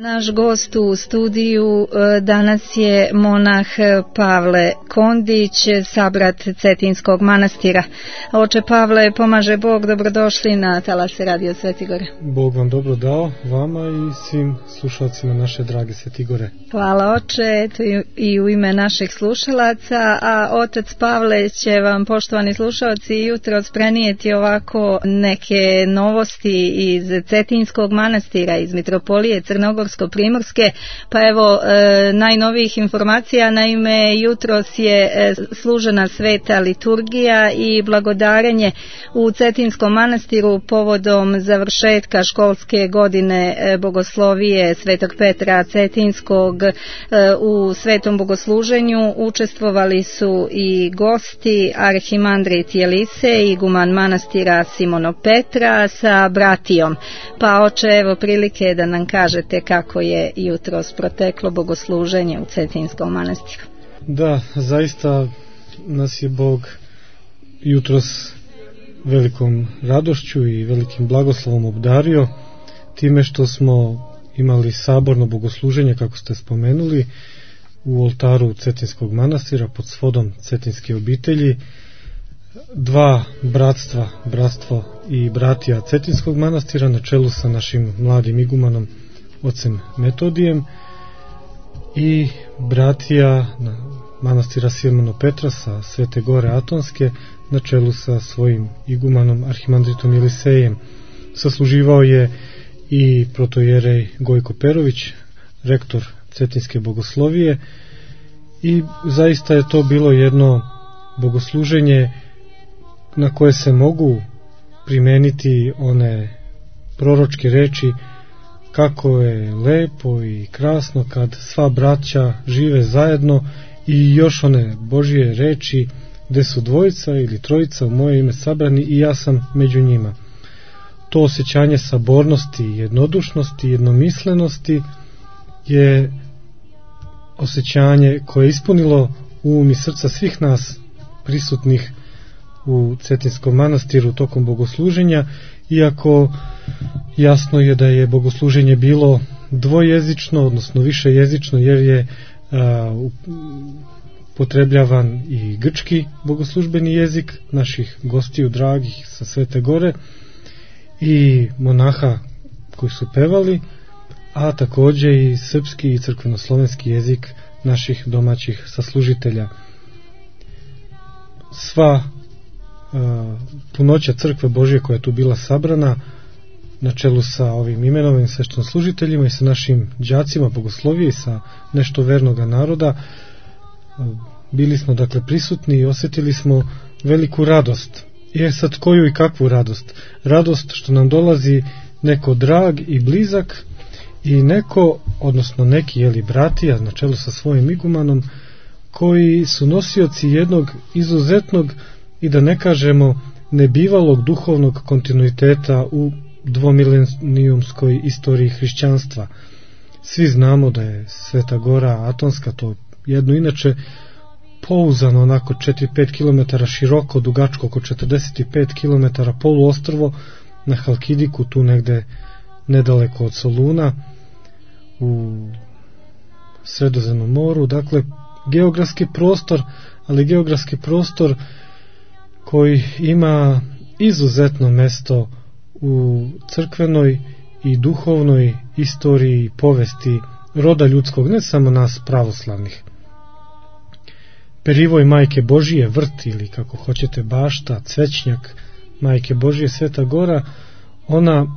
Naš gost u studiju danas je monah Pavle Kondić, sabrat Cetinskog manastira. Oče Pavle, pomaže Bog, dobrodošli na talase Radio Svetigore. Bog vam dobro dao, vama i svim slušalcima naše drage Svetigore. Hvala oče, eto i u ime naših slušalaca, a otac Pavle će vam, poštovani slušalci, jutros prenijeti ovako neke novosti iz Cetinskog manastira, iz Mitropolije Crnogorsko-Primorske, pa evo najnovijih informacija. Naime, jutros je služena sveta liturgija i blagodarenje u Cetinskom manastiru povodom završetka školske godine bogoslovije Svetog Petra Cetinskog. U svetom bogosluženju učestvovali su i gosti arhimandrit Jelisej, iguman manastira Simono Petra sa bratijom. Pa oče, evo prilike da nam kažete kako je jutros proteklo bogosluženje u Cetinskom manastiru. Da, zaista nas je Bog jutros velikom radošću i velikim blagoslovom obdario time što smo imali saborno bogosluženje, kako ste spomenuli, u oltaru Cetinskog manastira pod svodom Cetinske obitelji. Dva bratstva, bratstvo i bratija Cetinskog manastira na čelu sa našim mladim igumanom ocem Metodijem i bratija manastira Simono Petra sa Svete Gore Atonske na čelu sa svojim igumanom arhimandritom Jelisejem. Sasluživao je i protojerej Gojko Perović, rektor Cetinske bogoslovije, i zaista je to bilo jedno bogosluženje na koje se mogu primeniti one proročke reči kako je lepo i krasno kad sva braća žive zajedno, i još one Božje reči gde su dvojica ili trojica u moje ime sabrani i ja sam među njima. To osjećanje sabornosti, jednodušnosti, jednomislenosti je osjećanje koje je ispunilo um i srca svih nas prisutnih u Cetinskom manastiru tokom bogosluženja, iako jasno je da je bogosluženje bilo dvojezično, odnosno višejezično, jer je potrebljavan i grčki bogoslužbeni jezik naših gostiju dragih sa Svete Gore i monaha koji su pevali, a takođe i srpski i crkvenoslovenski jezik naših domaćih saslužitelja. Sva punoća crkve Božje koja je tu bila sabrana na čelu sa ovim imenovim sveštenslužiteljima i sa našim đacima bogoslovije i sa nešto vernoga naroda, bili smo dakle prisutni i osjetili smo veliku radost. Sad koju i kakvu radost? Radost što nam dolazi neko drag i blizak i neko, odnosno neki bratija na čelu sa svojim igumanom, koji su nosioci jednog izuzetnog i da ne kažemo nebivalog duhovnog kontinuiteta u dvomilenijumskoj istoriji hrišćanstva. Svi znamo da je Sveta Gora Atonska, to jedno inače pouzano onako 4-5 km široko, dugačko oko 45 km poluostrvo na Halkidiku, tu negde nedaleko od Soluna u Sredozemnom moru. Dakle, geografski prostor, ali geografski prostor koji ima izuzetno mesto u crkvenoj i duhovnoj istoriji i povesti roda ljudskog, ne samo nas pravoslavnih. Perivoj Majke Božije, vrt ili kako hoćete bašta, cvećnjak Majke Božije Sveta Gora, ona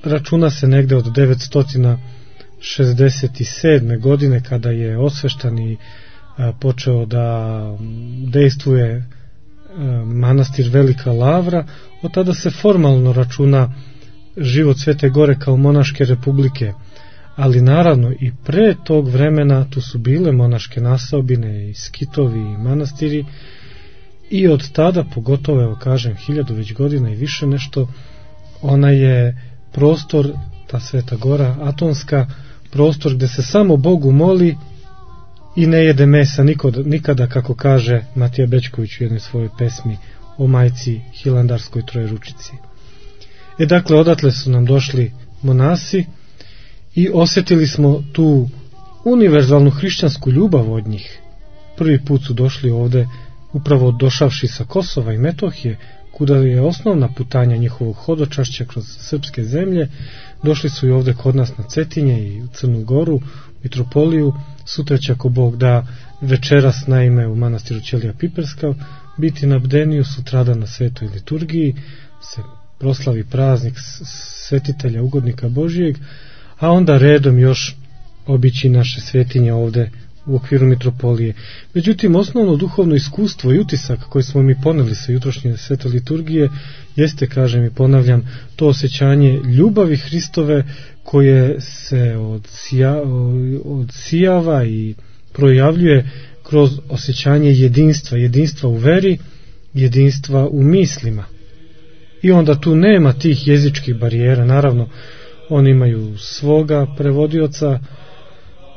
računa se negde od 967. godine kada je osveštan i počeo da dejstvuje manastir Velika Lavra. Od tada se formalno računa život Svete Gore kao monaške republike, ali naravno i pre tog vremena tu su bile monaške naseobine i skitovi i manastiri, i od tada, pogotovo evo kažem 1000 već godina i više nešto, ona je prostor, ta Sveta Gora Atonska, prostor gde se samo Bogu moli i ne jede mesa nikada, kako kaže Matija Bećković u jednoj svojoj pesmi o majci Hilandarskoj Trojeručici. Dakle, odatle su nam došli monasi i osjetili smo tu univerzalnu hrišćansku ljubav od njih. Prvi put su došli ovde upravo došavši sa Kosova i Metohije, kuda je osnovna putanja njihovog hodočašća kroz srpske zemlje. Došli su i ovde kod nas na Cetinje i u Crnu Goru, mitropoliju. Sutra će, ako Bog da, večeras naime u manastiru Ćelija Piperska biti na bdeniju, sutradan na svetoj liturgiji se proslavi praznik svetitelja ugodnika Božijeg, a onda redom još obići naše svetinje ovde u okviru mitropolije. Međutim, osnovno duhovno iskustvo i utisak koji smo mi poneli sa jutrošnje svete liturgije jeste, kažem i ponavljam, to osjećanje ljubavi Hristove koje se odsijava i projavljuje kroz osjećanje jedinstva u veri, jedinstva u mislima. I onda tu nema tih jezičkih barijera. Naravno, oni imaju svoga prevodioca,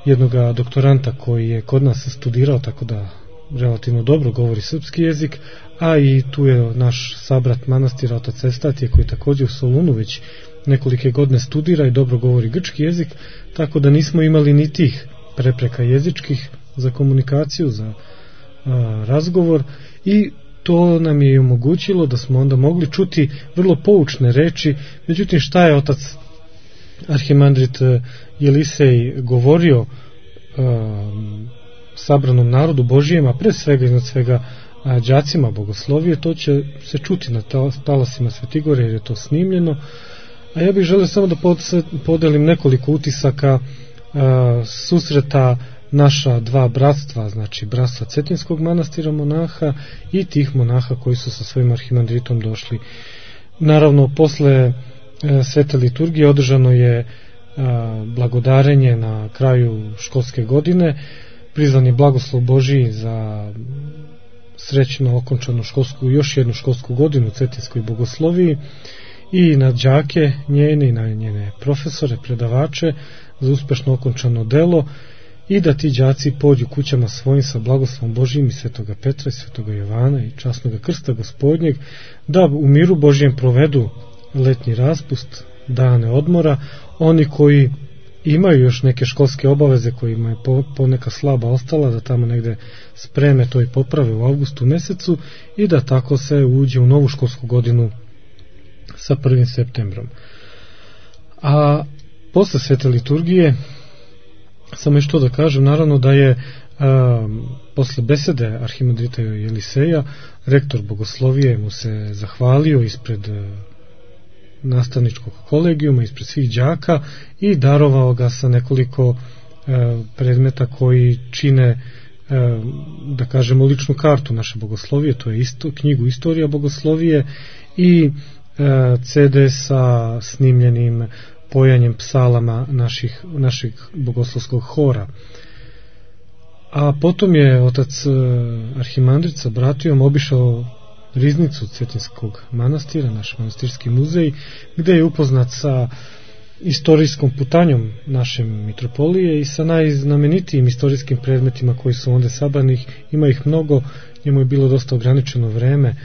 jednoga doktoranta koji je kod nas studirao, tako da relativno dobro govori srpski jezik, a i tu je naš sabrat manastira, otac Evstatije, koji također u Solunu već nekolike godine studira i dobro govori grčki jezik, tako da nismo imali ni tih prepreka jezičkih za komunikaciju, za razgovor, i to nam je omogućilo da smo onda mogli čuti vrlo poučne reči. Međutim, šta je otac arhimandrit Jelisej govorio sabranom narodu Božijem, a pre svega i nad svega đacima bogoslovije, to će se čuti na talasima Svetigore, jer je to snimljeno. A ja bih želeo samo da podelim nekoliko utisaka susreta naša dva bratstva, znači bratstva Cetinskog manastira monaha i tih monaha koji su sa svojim arhimandritom došli. Naravno, posle svete liturgije održano je blagodarenje na kraju školske godine, prizvan je blagoslov Božiji za srećno okončanu još jednu školsku godinu u Cetinskoj bogosloviji i na đake njene i na njene profesore, predavače za uspešno okončano delo, i da ti đaci pođu kućama svojim sa blagoslovom Božijim i svetoga Petra i svetoga Jovana i časnoga krsta Gospodnjeg, da u miru Božijem provedu letnji raspust, dane odmora. Oni koji imaju još neke školske obaveze, kojima je poneka slaba ostala, da tamo negde spreme to i poprave u avgustu mesecu i da tako se uđe u novu školsku godinu sa 1. septembrom. A posle svete liturgije, samo još to da kažem, naravno da je posle besede arhimandrita Jeliseja rektor bogoslovije mu se zahvalio ispred nastavničkog kolegijuma, ispred svih đaka, i darovao ga sa nekoliko predmeta koji čine, da kažemo, ličnu kartu naše bogoslovije. To je knjigu Istorija bogoslovije i CD sa snimljenim pojanjem psalama naših bogoslovskog hora. A potom je otac arhimandrit sa bratijom obišao riznicu Cetinskog manastira, naš manastirski muzej, gde je upoznat sa istorijskom putanjom naše mitropolije i sa najznamenitijim istorijskim predmetima koji su onda sabranih. Ima ih mnogo, njemu je bilo dosta ograničeno vreme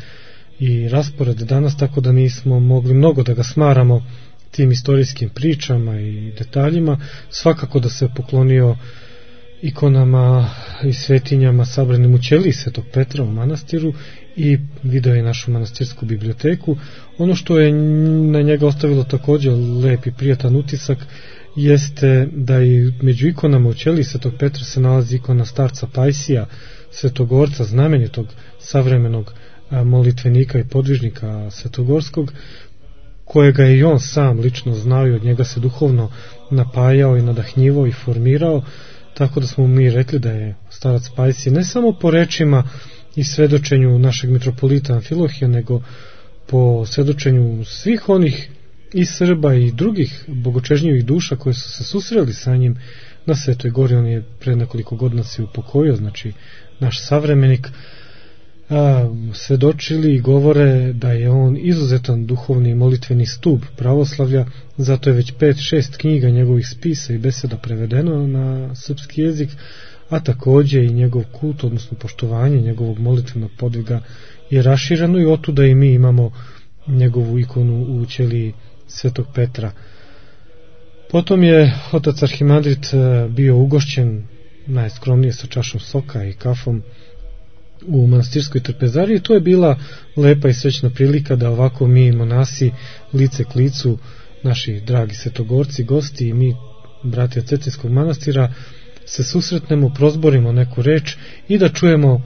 i raspored danas, tako da nismo mogli mnogo da ga smaramo tim istorijskim pričama i detaljima. Svakako da se poklonio ikonama i svetinjama sabranim u ćeliji Svetog Petra u manastiru i video je našu manastirsku biblioteku. Ono što je na njega ostavilo također lep i prijatan utisak jeste da i među ikonama u ćeliji Svetog Petra se nalazi ikona starca Pajsija, svetogorca, znamenitog savremenog molitvenika i podvižnika svetogorskog, kojega je i on sam lično znao i od njega se duhovno napajao i nadahnjivao i formirao, tako da smo mi rekli da je starac Pajsije ne samo po rečima i svedočenju našeg mitropolita Amfilohija, nego po svedočenju svih onih i Srba i drugih bogočežnjivih duša koji su se susreli sa njim na Svetoj Gori. On je pre nekoliko godina se upokojio, znači naš savremenik. Svedočili i govore da je on izuzetan duhovni i molitveni stup pravoslavlja, zato je već 5-6 knjiga njegovih spisa i beseda prevedeno na srpski jezik, a takođe i njegov kult, odnosno poštovanje njegovog molitvenog podviga je rašireno i otuda i mi imamo njegovu ikonu u ćeliji Svetog Petra. Potom je otac arhimandrit bio ugošćen najskromnije sa čašom soka i kafom u manastirskoj trpezariji. To je bila lepa i srećna prilika da ovako mi monasi lice k licu, naši dragi svetogorci, gosti i mi bratija Cetinskog manastira se susretnemo, prozborimo neku reč i da čujemo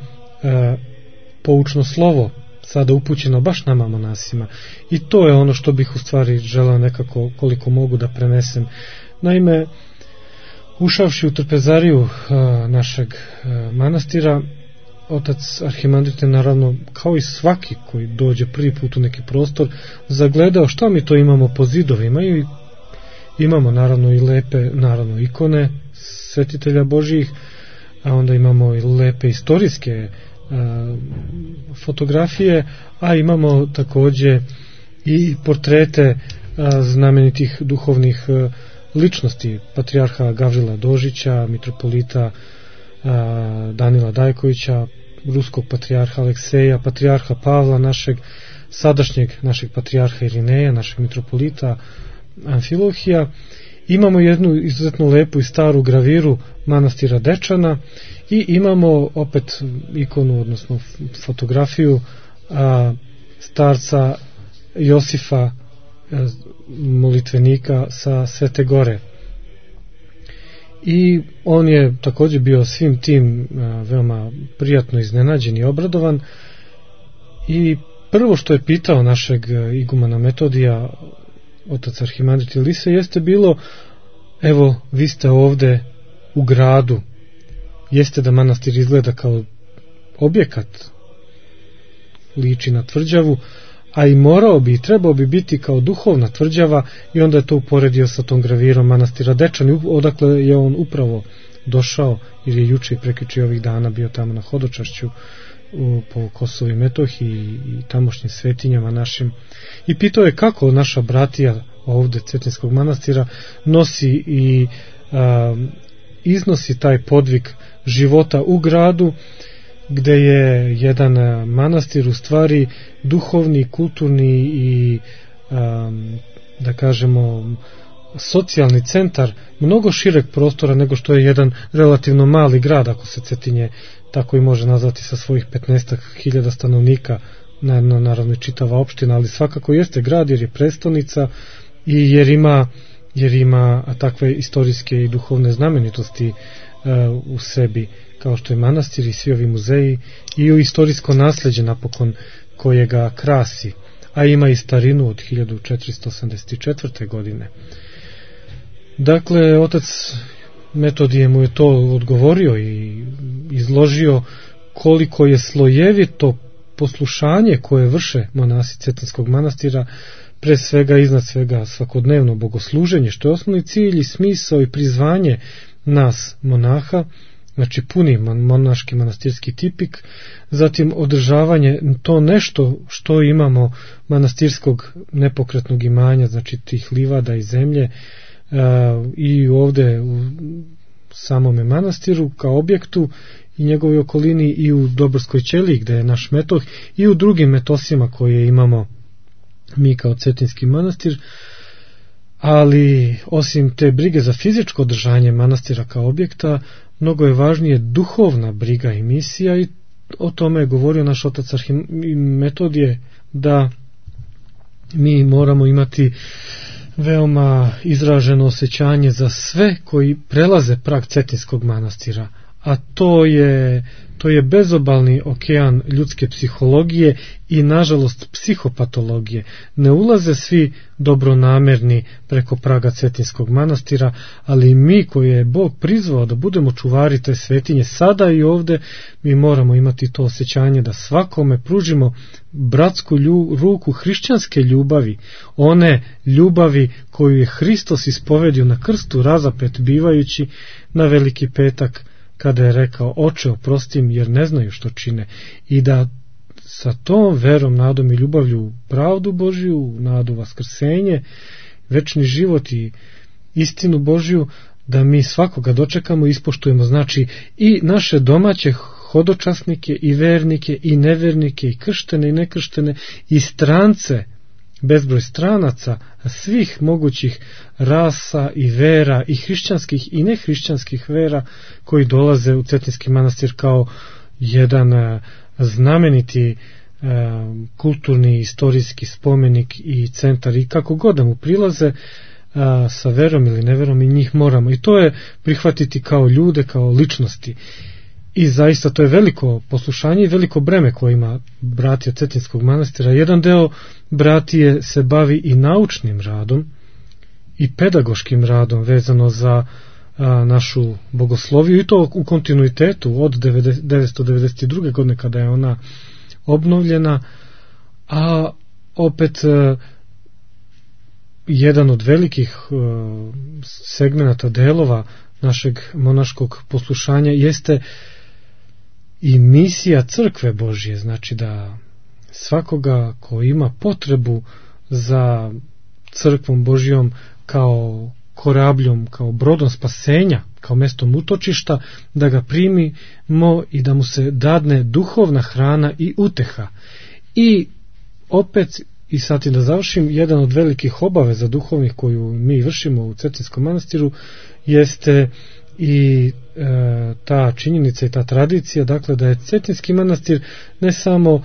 poučno slovo, sada upućeno baš nama monasima. I to je ono što bih u stvari želeo nekako koliko mogu da prenesem. Naime, ušavši u trpezariju našeg manastira, otac arhimandrit je naravno, kao i svaki koji dođe prvi put u neki prostor, zagledao šta mi to imamo po zidovima i imamo naravno i lepe ikone svetitelja Božjih, a onda imamo i lepe istorijske fotografije, a imamo takođe i portrete znamenitih duhovnih ličnosti, patrijarha Gavrila Dožića, mitropolita Danila Dajkovića, ruskog patrijarha Alekseja, patrijarha Pavla, sadašnjeg našeg patrijarha Irineja, našeg mitropolita Amfilohija. Imamo jednu izuzetno lepu i staru graviru manastira Dečana i imamo opet ikonu, odnosno fotografiju starca Josifa, molitvenika sa Svete Gore. I on je također bio svim tim veoma prijatno iznenađen i obradovan. I prvo što je pitao našeg igumana Metodija, otac arhimandrit Ilise, jeste bilo: evo, vi ste ovde u gradu, jeste da manastir izgleda kao objekat, liči na tvrđavu, a i morao bi i trebao bi biti kao duhovna tvrđava, i onda je to uporedio sa tom gravirom manastira Dečan, odakle je on upravo došao, jer je juče i prekjuče ovih dana bio tamo na hodočašću po Kosovu i Metohiji i tamošnjim svetinjama našim, i pitao je kako naša bratija ovde Cetinskog manastira nosi i iznosi taj podvig života u gradu, gde je jedan manastir u stvari duhovni, kulturni i da kažemo socijalni centar mnogo šireg prostora nego što je jedan relativno mali grad, ako se Cetinje tako i može nazvati, sa svojih 15.000 stanovnika, naravno i čitava opština, ali svakako jeste grad jer je prestonica i jer ima takve istorijske i duhovne znamenitosti u sebi, kao što je manastir i svi ovi muzeji, i u istorijsko nasleđe napokon koje ga krasi, a ima i starinu od 1484. godine. Dakle, otac Metodije mu je to odgovorio i izložio koliko je slojevito poslušanje koje vrše monasi Cetinskog manastira, pre svega, iznad svega, svakodnevno bogosluženje, što je osnovni cilj i smisao i prizvanje nas monaha, znači puni monaški manastirski tipik, zatim održavanje to nešto što imamo manastirskog nepokretnog imanja, znači tih livada i zemlje, i ovde u samome manastiru kao objektu i njegovoj okolini, i u Dobrskoj ćeliji gde je naš metoh, i u drugim metosima koje imamo mi kao Cetinski manastir. Ali osim te brige za fizičko održanje manastira kao objekta, mnogo je važnije duhovna briga i misija, i o tome je govorio naš otac Metodije, da mi moramo imati veoma izraženo osjećanje za sve koji prelaze prag Cetinskog manastira, a to je bezobalni okean ljudske psihologije i nažalost psihopatologije. Ne ulaze svi dobronamerni preko praga Cetinskog manastira, ali mi koji je Bog prizvao da budemo čuvari te svetinje sada i ovde, mi moramo imati to osjećanje da svakome pružimo bratsku ruku hrišćanske ljubavi, one ljubavi koju je Hristos ispovedio na krstu razapet bivajući na Veliki petak, kada je rekao: Oče, oprosti im, jer ne znaju što čine, i da sa tom verom, nadom i ljubavlju u pravdu Božju, nadu vaskrsenje, večni život i istinu Božju, da mi svakoga dočekamo i ispoštujemo, znači i naše domaće hodočasnike i vernike i nevernike i krštene i nekrštene i strance bezbroj stranaca svih mogućih rasa i vera, i hrišćanskih i nehrišćanskih vera, koji dolaze u Cetinski manastir kao jedan znameniti kulturni, istorijski spomenik i centar, i kako god da mu prilaze sa verom ili neverom, i njih moramo, i to je prihvatiti kao ljude, kao ličnosti. I zaista to je veliko poslušanje i veliko breme koje ima bratija Cetinskog manastira. Jedan deo bratije se bavi i naučnim radom i pedagoškim radom vezano za našu bogosloviju, i to u kontinuitetu od 1992. godine kada je ona obnovljena, a opet jedan od velikih segmenata, delova našeg monaškog poslušanja jeste i misija Crkve Božje, znači da svakoga ko ima potrebu za Crkvom Božjom kao korabljom, kao brodom spasenja, kao mestom utočišta, da ga primimo i da mu se dadne duhovna hrana i uteha. I opet, i sad i da završim, jedan od velikih obaveza duhovnih koju mi vršimo u Cetinskom manastiru jeste i ta činjenica i ta tradicija, dakle da je Cetinski manastir ne samo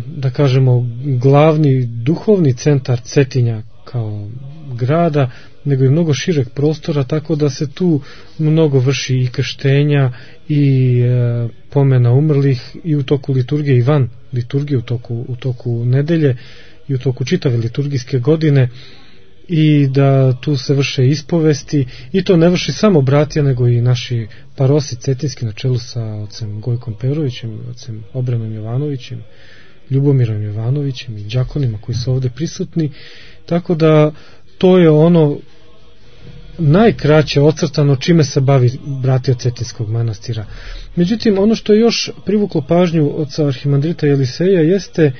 da kažemo glavni duhovni centar Cetinja kao grada, nego i mnogo šireg prostora, tako da se tu mnogo vrši i krštenja i pomena umrlih i u toku liturgije i van liturgije, u toku nedelje i u toku čitave liturgijske godine, i da tu se vrše ispovesti, i to ne vrši samo bratija, nego i naši parosi cetinski na čelu sa ocem Gojkom Perovićem, ocem Obranom Jovanovićem, Ljubomirom Jovanovićem i đakonima koji su ovde prisutni. Tako da to je ono najkraće ocrtano čime se bavi bratija Cetinskog manastira. Međutim, ono što je još privuklo pažnju oca arhimandrita Jeliseja jeste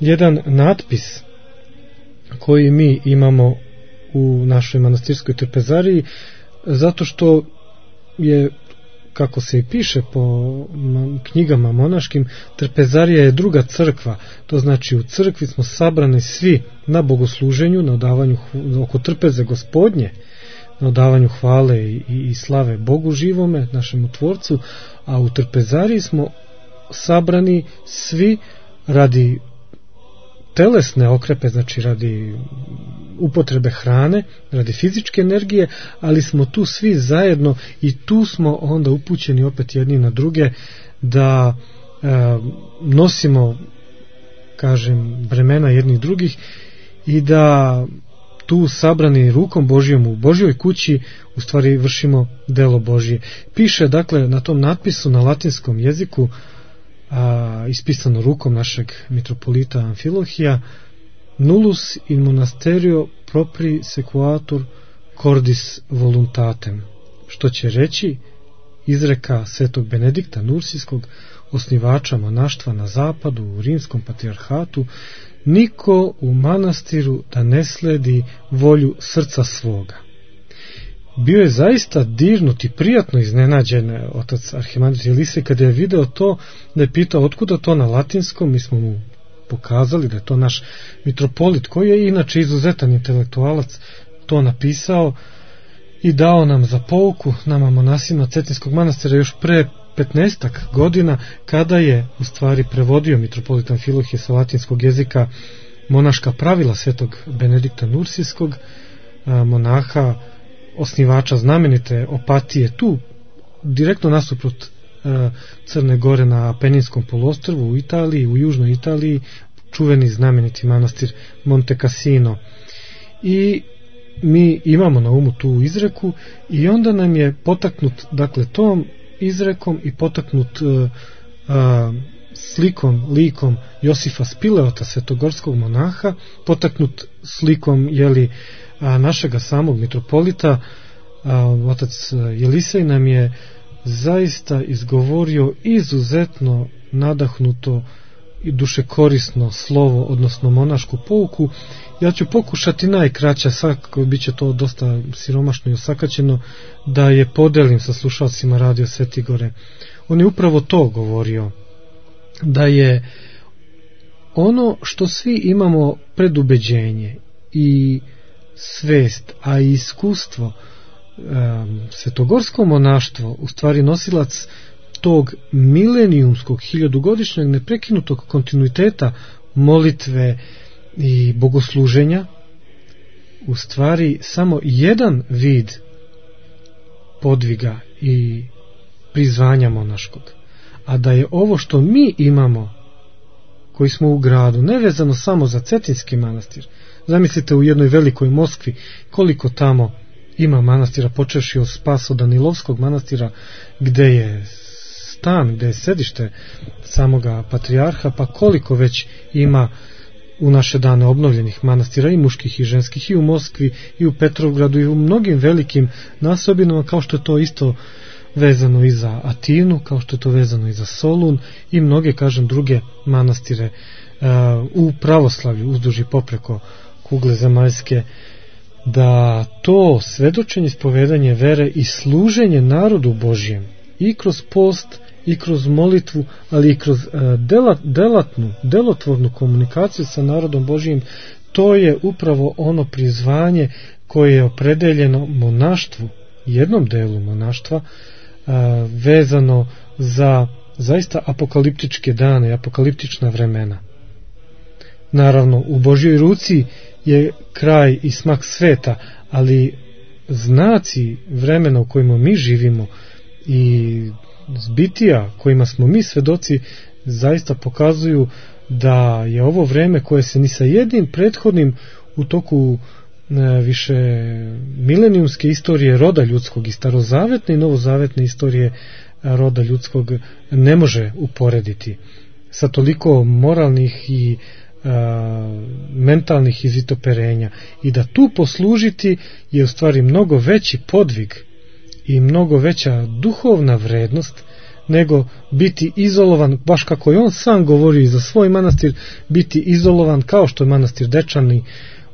jedan natpis koji mi imamo u našoj manastirskoj trpezariji, zato što je, kako se i piše po knjigama monaškim, trpezarija je druga crkva. To znači u crkvi smo sabrani svi na bogosluženju, na odavanju oko trpeze Gospodnje, na odavanju hvale i slave Bogu živome, našemu Tvorcu, a u trpezariji smo sabrani svi radi telesne okrepe, znači radi upotrebe hrane, radi fizičke energije, ali smo tu svi zajedno i tu smo onda upućeni opet jedni na druge da nosimo, kažem, bremena jednih drugih i da tu sabrani rukom Božjom u Božjoj kući u stvari vršimo delo Božje. Piše dakle na tom natpisu na latinskom jeziku, ispisano rukom našeg mitropolita Amfilohija: nullus in monasterio propri sequatur cordis voluntatem, što će reći izreka svetog Benedikta Nursijskog, osnivača monaštva na zapadu u rimskom patrijarhatu: niko u manastiru da ne sledi volju srca svoga. Bio je zaista dirnut i prijatno iznenađen otac arhimandrit Jelisej kada je video to, da je pitao otkuda to na latinskom. Mi smo mu pokazali da je to naš mitropolit, koji je inače izuzetan intelektualac, to napisao i dao nam za pouku, nama monasima Cetinskog manastira, još pre 15-ak godina, kada je u stvari prevodio mitropolit Amfilohije sa latinskog jezika monaška pravila svetog Benedikta Nursijskog, monaha, osnivača znamenite Opatije, tu direktno nasuprot Crne Gore na Apeninskom poluostrvu u Italiji, u južnoj Italiji, čuveni znameniti manastir Monte Cassino. I mi imamo na umu tu izreku i onda nam je potaknut, dakle, tom izrekom i potaknut slikom, likom Josifa Spileota, svetogorskog monaha, potaknut slikom našega samog mitropolita, otac Jelisej nam je zaista izgovorio izuzetno nadahnuto i dušekorisno slovo, odnosno monašku pouku. Ja ću pokušati najkraća, svakako bit će to dosta siromašno i osakaćeno, da je podelim sa slušalcima Radio Svetigore. On je upravo to govorio, da je ono što svi imamo predubeđenje i svest, a i iskustvo, svetogorsko monaštvo u stvari nosilac tog milenijumskog, hiljadugodišnjeg neprekinutog kontinuiteta molitve i bogosluženja, u stvari samo jedan vid podviga i prizvanja monaškog, a da je ovo što mi imamo, koji smo u gradu, nevezano samo za Cetinski manastir. Zamislite u jednoj velikoj Moskvi koliko tamo ima manastira, počevši od Spaso-Danilovskog manastira, gde je stan, gde je sedište samoga patrijarha, pa koliko već ima u naše dane obnovljenih manastira, i muških i ženskih, i u Moskvi, i u Petrovgradu, i u mnogim velikim nasobinama, kao što je to isto vezano i za Atinu, kao što je to vezano i za Solun i mnoge, kažem, druge manastire u pravoslavlju uzduž i popreko kugle zemaljske, da to svedočenje, ispovedanje vere i služenje narodu Božjem i kroz post i kroz molitvu, ali i kroz delotvornu komunikaciju sa narodom Božjim, to je upravo ono prizvanje koje je opredeljeno monaštvu, jednom delu monaštva, vezano za zaista apokaliptičke dane, apokaliptična vremena. Naravno, u Božjoj ruci je kraj i smak sveta, ali znaci vremena u kojima mi živimo i zbitija kojima smo mi svedoci zaista pokazuju da je ovo vreme koje se ni sa jednim prethodnim u toku više milenijumske istorije roda ljudskog i starozavetne i novozavetne istorije roda ljudskog ne može uporediti sa toliko moralnih i mentalnih izvitoperenja, i da tu poslužiti je u stvari mnogo veći podvig i mnogo veća duhovna vrednost nego biti izolovan, baš kako je on sam govorio i za svoj manastir, biti izolovan kao što je manastir Dečani,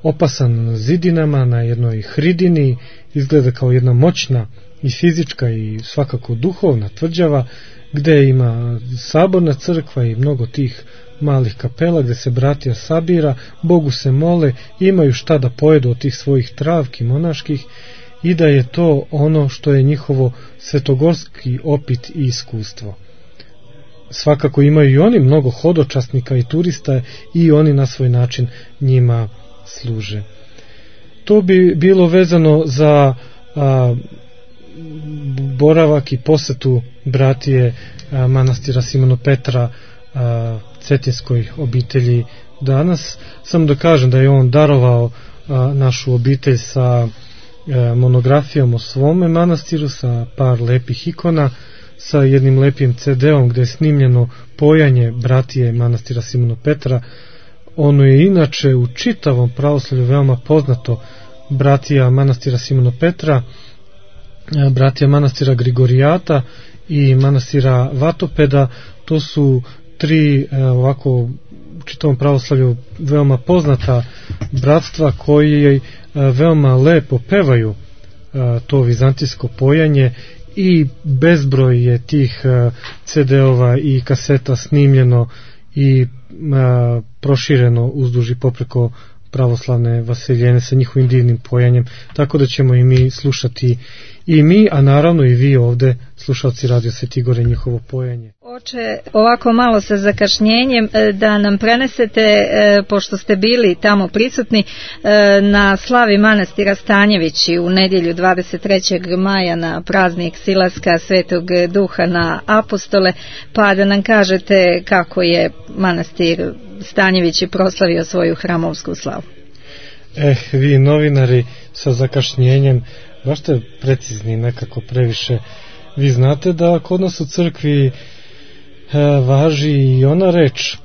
opasan zidinama na jednoj hridini, izgleda kao jedna moćna i fizička i svakako duhovna tvrđava, gde ima saborna crkva i mnogo tih malih kapela gde se bratija sabira, Bogu se mole, imaju šta da pojedu od tih svojih travki monaških, i da je to ono što je njihovo svetogorski opit i iskustvo. Svakako imaju i oni mnogo hodočasnika i turista i oni na svoj način njima služe. To bi bilo vezano za boravak i posetu bratije manastira Simona Petra cetinskoj obitelji danas. Samo da kažem da je on darovao našu obitelj sa monografijom o svome manastiru, sa par lepih ikona, sa jednim lepim CD-om gde je snimljeno pojanje bratije manastira Simona Petra. Ono je inače u čitavom pravoslavlju veoma poznato. Bratija manastira Simona Petra, bratija manastira Grigorijata i manastira Vatopeda, to su tri ovako u čitavom pravoslavlju veoma poznata bratstva koji veoma lepo pevaju to vizantijsko pojanje, i bezbroj je tih CD-ova i kaseta snimljeno i prošireno uzduž i popreko pravoslavne vaseljene sa njihovim divnim pojanjem, tako da ćemo i mi slušati, i mi, a naravno i vi ovde, slušalci Radio Sveti Igor, njihovo pojanje. Oče, ovako malo sa zakašnjenjem da nam prenesete, pošto ste bili tamo prisutni, na slavi manastira Stanjevići u nedjelju 23. maja na praznik silaska Svetog Duha na apostole, pa da nam kažete kako je manastir Stanjevići proslavio svoju hramovsku slavu. Vi novinari sa zakašnjenjem, baš ste precizni nekako previše. Vi znate da kod nas u crkvi važi i ona reč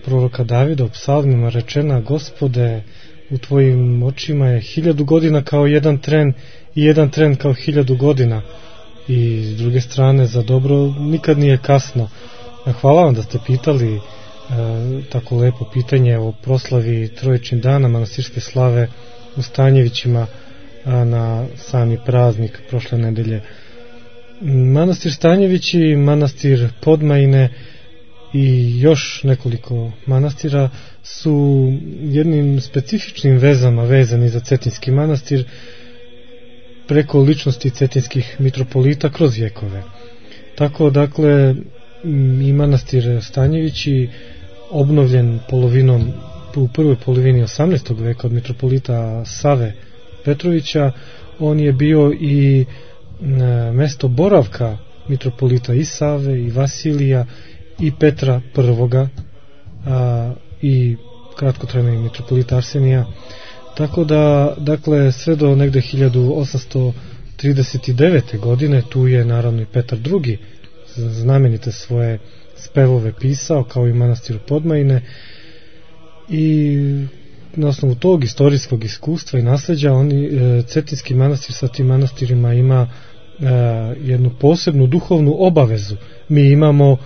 proroka Davida u psalmima rečena: Gospode, u tvojim očima je 1000 godina kao jedan tren i jedan tren kao 1000 godina. I s druge strane, za dobro nikad nije kasno. Hvala vam da ste pitali tako lepo pitanje o proslavi Trojičnih dana manastirske slave u Stanjevićima na sami praznik prošle nedelje. Manastir Stanjevići, manastir Podmajine i još nekoliko manastira su jednim specifičnim vezama vezani za Cetinski manastir preko ličnosti cetinskih mitropolita kroz vjekove. Tako dakle i manastir Stanjevići obnovljen u prvoj polovini 18. veka od mitropolita Save Petrovića, on je bio i mesto boravka mitropolita i Save i Vasilija i Petra I i kratkotrajnog mitropolita Arsenija. Tako da, dakle, sve do negde 1839. godine tu je naravno i Petar II. Znamenite svoje spevove pisao, kao i manastir Podmajine, i na osnovu tog istorijskog iskustva i nasleđa Cetinski manastir sa tim manastirima ima jednu posebnu duhovnu obavezu. Mi imamo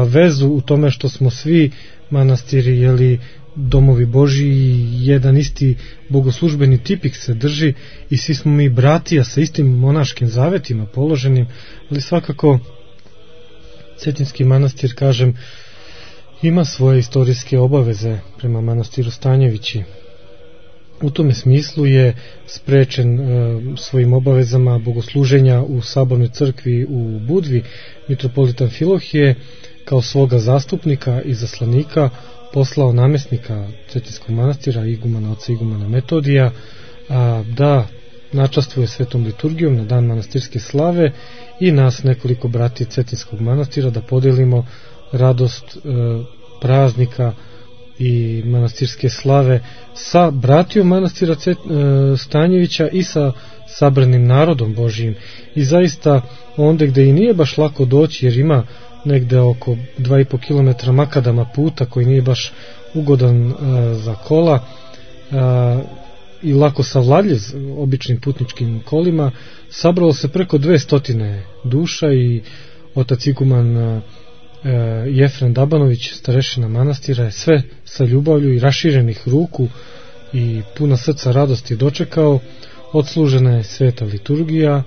vezu u tome što smo svi manastiri domovi Božji i jedan isti bogoslužbeni tipik se drži i svi smo mi bratija sa istim monaškim zavetima položenim, ali svakako Cetinski manastir, kažem, ima svoje istorijske obaveze prema manastiru Stanjevići. U tome smislu je sprečen svojim obavezama bogosluženja u sabornoj crkvi u Budvi. Mitropolitan Filohije kao svoga zastupnika i zaslanika poslao namjesnika Cetinskog manastira, igumana oca igumana Metodija, da načastvuje svetom liturgijom na dan manastirske slave i nas nekoliko brati Cetinskog manastira da podelimo radost praznika i manastirske slave sa bratijom manastira Stanjevića i sa sabranim narodom Božijim. I zaista onda gde i nije baš lako doći, jer ima negde oko 2,5 km makadama puta koji nije baš ugodan za kola i lako savladljiv običnim putničkim kolima, sabralo se preko 200 duša i otac iguman Jefrem Dabanović, starešina manastira, je sve sa ljubavlju i raširenih ruku i puna srca radosti dočekao. Odslužena je sveta liturgija,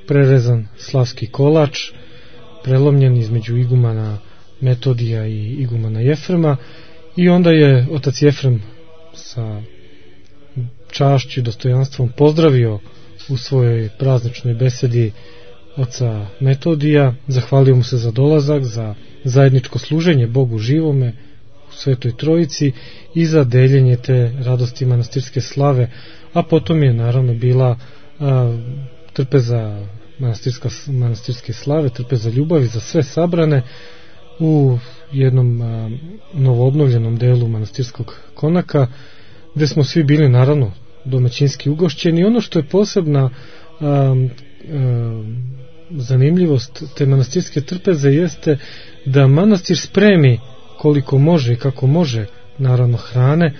prerezan slavski kolač, prelomljen između igumana Metodija i igumana Jefrema, i onda je otac Jefrem sa čašću i dostojanstvom pozdravio u svojoj prazničnoj besedi oca Metodija, zahvalio mu se za dolazak, za zajedničko služenje Bogu živome u Svetoj Trojici i za deljenje te radosti manastirske slave, a potom je naravno bila trpeza manastirske slave, trpeza ljubavi za sve sabrane u jednom novoobnovljenom delu manastirskog konaka, gde smo svi bili naravno domaćinski ugošćeni. Ono što je posebna zanimljivost te manastirske trpeze jeste da manastir spremi koliko može i kako može naravno hrane,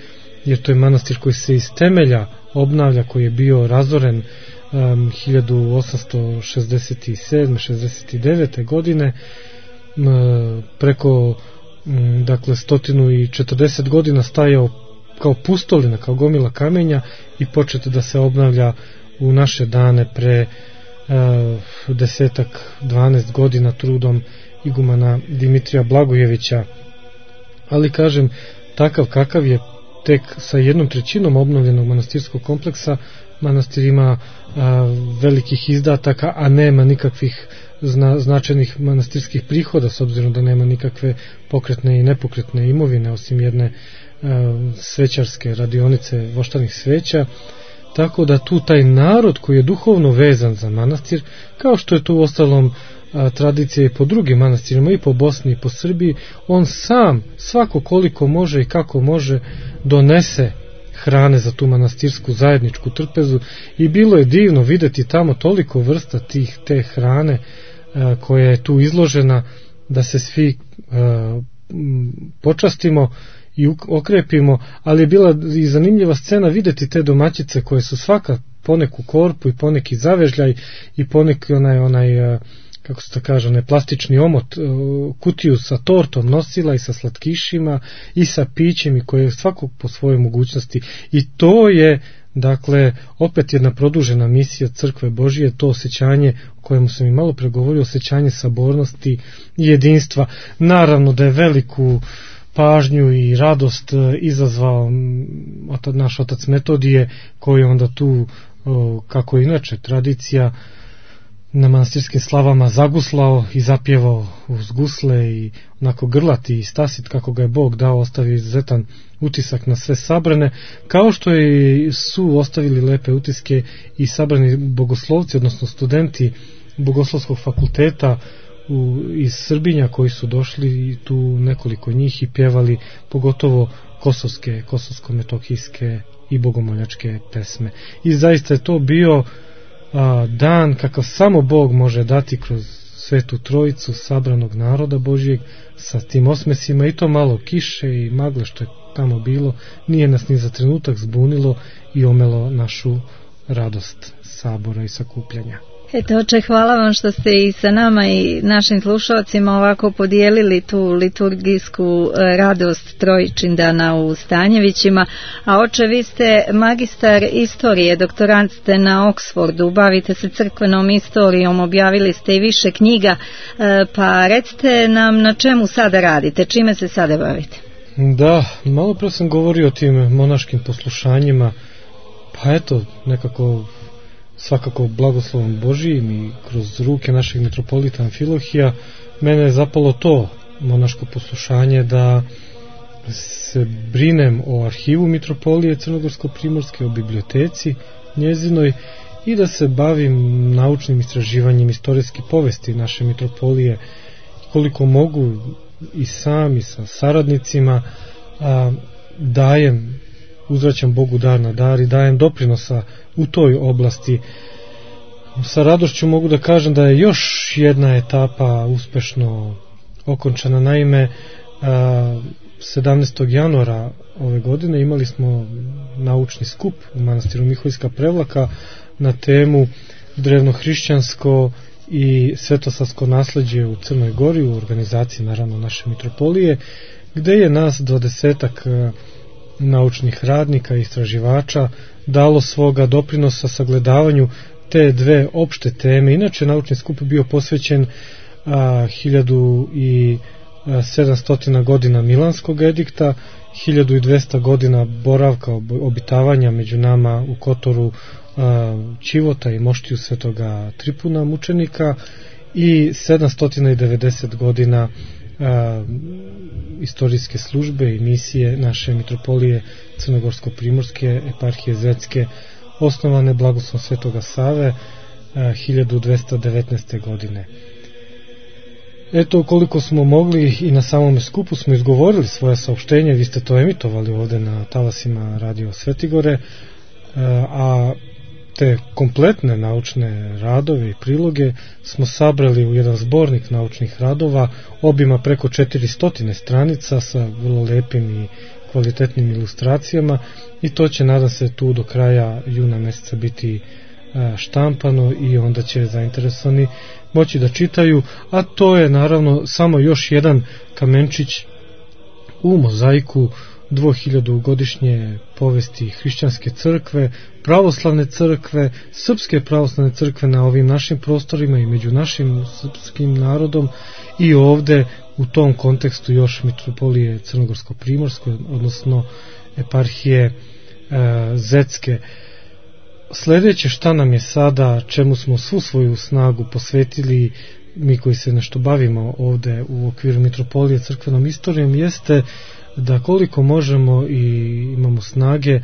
jer to je manastir koji se iz temelja obnavlja, koji je bio razoren 1867-69. godine, preko 140 godina stajao kao pustolina, kao gomila kamenja, i početi da se obnavlja u naše dane pre 10-12 godina trudom igumana Dimitrija Blagojevića. Ali kažem, takav kakav je, tek sa 1/3 obnovljenog manastirskog kompleksa, manastir ima velikih izdataka, a nema nikakvih značajnih manastirskih prihoda, s obzirom da nema nikakve pokretne i nepokretne imovine osim jedne svećarske radionice voštanih sveća. Tako da tu taj narod koji je duhovno vezan za manastir, kao što je to u ostalom tradicija i po drugim manastirima, i po Bosni i po Srbiji, on sam svako koliko može i kako može donese hrane za tu manastirsku zajedničku trpezu, i bilo je divno videti tamo toliko vrsta te hrane koja je tu izložena, da se svi počastimo i okrepimo. Ali je bila i zanimljiva scena videti te domaćice koje su svaka poneku korpu i poneki zavežljaj i poneki onaj kako se to kaže, onaj plastični omot, kutiju sa tortom nosila i sa slatkišima i sa pićem, i koje je svakog po svojoj mogućnosti. I to je Dakle, opet jedna produžena misija Crkve Božije, to osjećanje o kojemu sam i malo pregovorio, osjećanje sabornosti i jedinstva. Naravno da je veliku pažnju i radost izazvao naš otac Metodije, koji onda tu, kako inače tradicija, na manastirskim slavama zaguslao i zapjevao uz gusle i onako grlati i stasit kako ga je Bog dao, ostavio izuzetan utisak na sve sabrane, kao što su ostavili lepe utiske i sabrani bogoslovci, odnosno studenti Bogoslovskog fakulteta iz Srbinja koji su došli, tu nekoliko njih, i pjevali pogotovo kosovsko-metohijske i bogomoljačke pesme. I zaista je to bio dan kakav samo Bog može dati kroz Svetu Trojicu sabranog naroda Božijeg sa tim osmesima, i to malo kiše i magle što je tamo bilo nije nas ni za trenutak zbunilo i omelo našu radost sabora i sakupljanja. Eto, oče, hvala vam što ste i sa nama i našim slušalcima ovako podijelili tu liturgijsku radost Trojičindana u Stanjevićima. A oče, vi ste magistar istorije, doktorant ste na Oxfordu, bavite se crkvenom istorijom, objavili ste i više knjiga, pa recite nam na čemu sada radite, čime se sada bavite? Da, malo pre sam govorio o tim monaškim poslušanjima, pa eto, nekako svakako blagoslovom Božijim i kroz ruke našeg mitropolita Amfilohija mene je zapalo to monaško poslušanje da se brinem o arhivu mitropolije Crnogorsko-Primorske, o biblioteci njezinoj i da se bavim naučnim istraživanjem istorijske povesti naše mitropolije, koliko mogu i sam i sa saradnicima uzvraćam Bogu dar na dar i dajem doprinosa u toj oblasti. Sa radošću mogu da kažem da je još jedna etapa uspešno okončana. Naime, 17. januara ove godine imali smo naučni skup u manastiru Miholjska Prevlaka na temu drevnohrišćansko i svetosavsko nasleđe u Crnoj Gori, u organizaciji naravno naše mitropolije, gde je nas 20 naučnih radnika i istraživača dalo svoga doprinosa sagledavanju te dve opšte teme. Inače, naučni skup bio posvećen 1700 godina Milanskog edikta, 1200 godina boravka, obitavanja među nama u Kotoru Ćivota i moštiju svetoga Tripuna mučenika i 790 godina istorijske službe i misije naše mitropolije Crnogorsko-Primorske eparhije Zecke, osnovane blagoslovom svetoga Save 1219. godine. Eto, koliko smo mogli i na samom skupu smo izgovorili svoje saopštenje, vi ste to emitovali ovde na talasima Radio Svetigore, a te kompletne naučne radove i priloge smo sabrali u jedan zbornik naučnih radova obima preko 400 stranica sa vrlo lepim i kvalitetnim ilustracijama, i to će, nadam se, tu do kraja juna meseca biti štampano i onda će zainteresovani moći da čitaju, a to je naravno samo još jedan kamenčić u mozaiku 2000-godišnje povesti hrišćanske crkve, pravoslavne crkve, srpske pravoslavne crkve na ovim našim prostorima i među našim srpskim narodom, i ovde u tom kontekstu još mitropolije Crnogorsko-Primorske, odnosno eparhije Zecke. Sledeće šta nam je sada, čemu smo svu svoju snagu posvetili mi koji se nešto bavimo ovde u okviru mitropolije crkvenom istorijom, jeste da koliko možemo i imamo snage,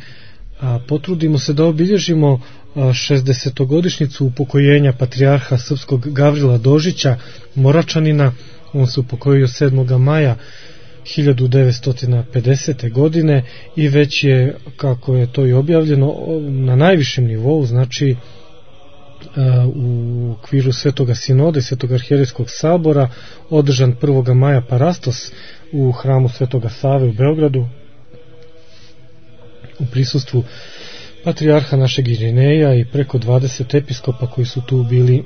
potrudimo se da obilježimo 60-godišnjicu upokojenja patrijarha srpskog Gavrila Dožića, Moračanina. On se upokojio 7. maja 1950. godine i već je, kako je to i objavljeno, na najvišem nivou, znači u okviru Svetoga Sinoda i Svetog arhijerejskog sabora, održan 1. maja Parastos u hramu Svetoga Save u Beogradu u prisustvu patrijarha našeg Irineja i preko 20 episkopa koji su tu bili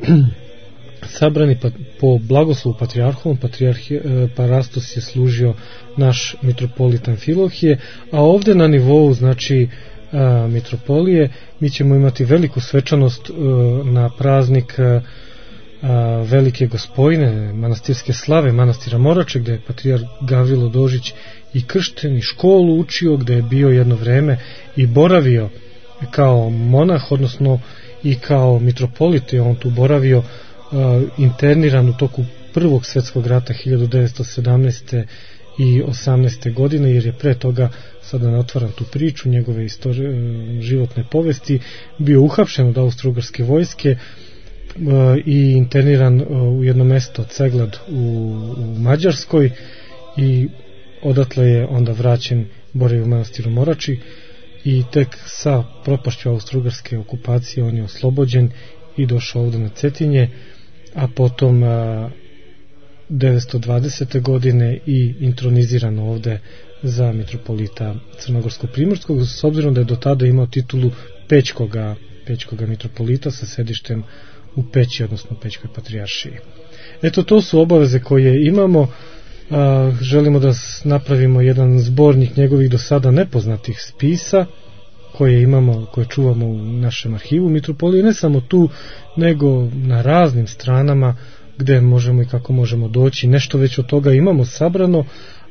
sabrani po blagoslovu patrijarhovom. Parastos je služio naš mitropolit Amfilohije, a ovde na nivou, znači, mitropolije. Mi ćemo imati veliku svečanost na praznik Velike Gospojine, manastirske slave manastira Morače, gde je patrijarh Gavrilo Dožić i kršten i školu učio, gde je bio jedno vreme i boravio kao monah, odnosno i kao mitropolit je on tu boravio, interniran u toku Prvog svjetskog rata 1917. i 18. godine, jer je pre toga, sada ne otvaram tu priču, njegove životne povesti, bio uhapšen od Austro-Ugarske vojske i interniran u jedno mesto Ceglad u Mađarskoj i odatle je onda vraćen, boravio u manastiru Morači i tek sa propašću Austro-Ugarske okupacije on je oslobođen i došao ovde na Cetinje, a potom 920. godine i introniziran ovde za mitropolita Crnogorsko-primorskog, s obzirom da je do tada imao titulu Pećkoga mitropolita sa sedištem u Peći, odnosno Pećkoj patrijaršiji. Eto, to su obaveze koje imamo. Želimo da napravimo jedan zbornik njegovih do sada nepoznatih spisa koje imamo, koje čuvamo u našem arhivu mitropolije, ne samo tu, nego na raznim stranama gde možemo i kako možemo doći. Nešto već od toga imamo sabrano,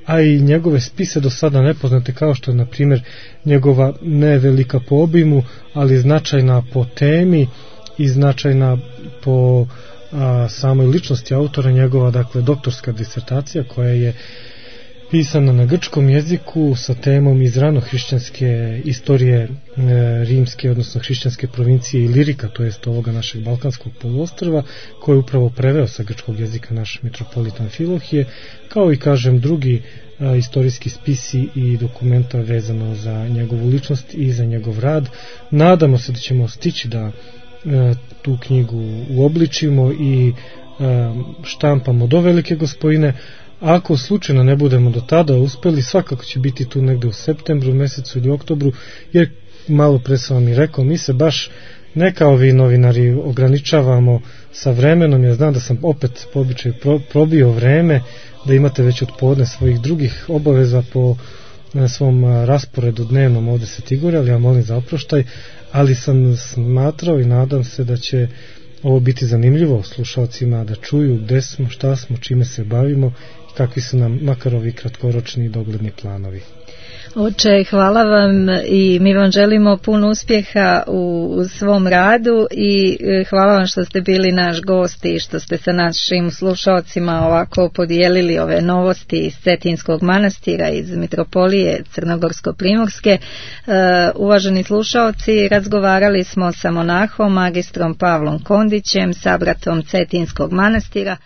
a i njegove spise do sada nepoznate, kao što je na primjer njegova ne velika po obimu, ali značajna po temi i značajna po samoj ličnosti autora, njegova, dakle, doktorska disertacija koja je pisana na grčkom jeziku sa temom iz ranohrišćanske istorije rimske, odnosno hrišćanske provincije Ilirika, to jest ovoga našeg Balkanskog poluostrva, koji je upravo preveo sa grčkog jezika naš mitropolit Amfilohije, kao i, kažem, drugi istorijski spisi i dokumenta vezano za njegovu ličnost i za njegov rad. Nadamo se da ćemo stići da tu knjigu uobličimo i štampamo do Velike Gospojine. Ako slučajno ne budemo do tada uspeli, svakako će biti tu negde u septembru mesecu ili oktobru, jer malo pre sam vam i rekao, mi se baš ne kao vi novinari ograničavamo sa vremenom. Ja znam da sam opet po običaju probio vreme, da imate već od podne svojih drugih obaveza po svom rasporedu dnevnom ovde se Tigore, ali ja molim za oproštaj, ali sam smatrao i nadam se da će ovo biti zanimljivo slušalcima da čuju gde smo, šta smo, čime se bavimo i kakvi su nam makar ovi kratkoročni i dogledni planovi. Oče, hvala vam i mi vam želimo puno uspjeha u svom radu i hvala vam što ste bili naš gost i što ste sa našim slušalcima ovako podijelili ove novosti iz Cetinskog manastira, iz mitropolije Crnogorsko-primorske. Uvaženi slušalci, razgovarali smo sa monahom, magistrom Pavlom Kondićem, sabratom Cetinskog manastira.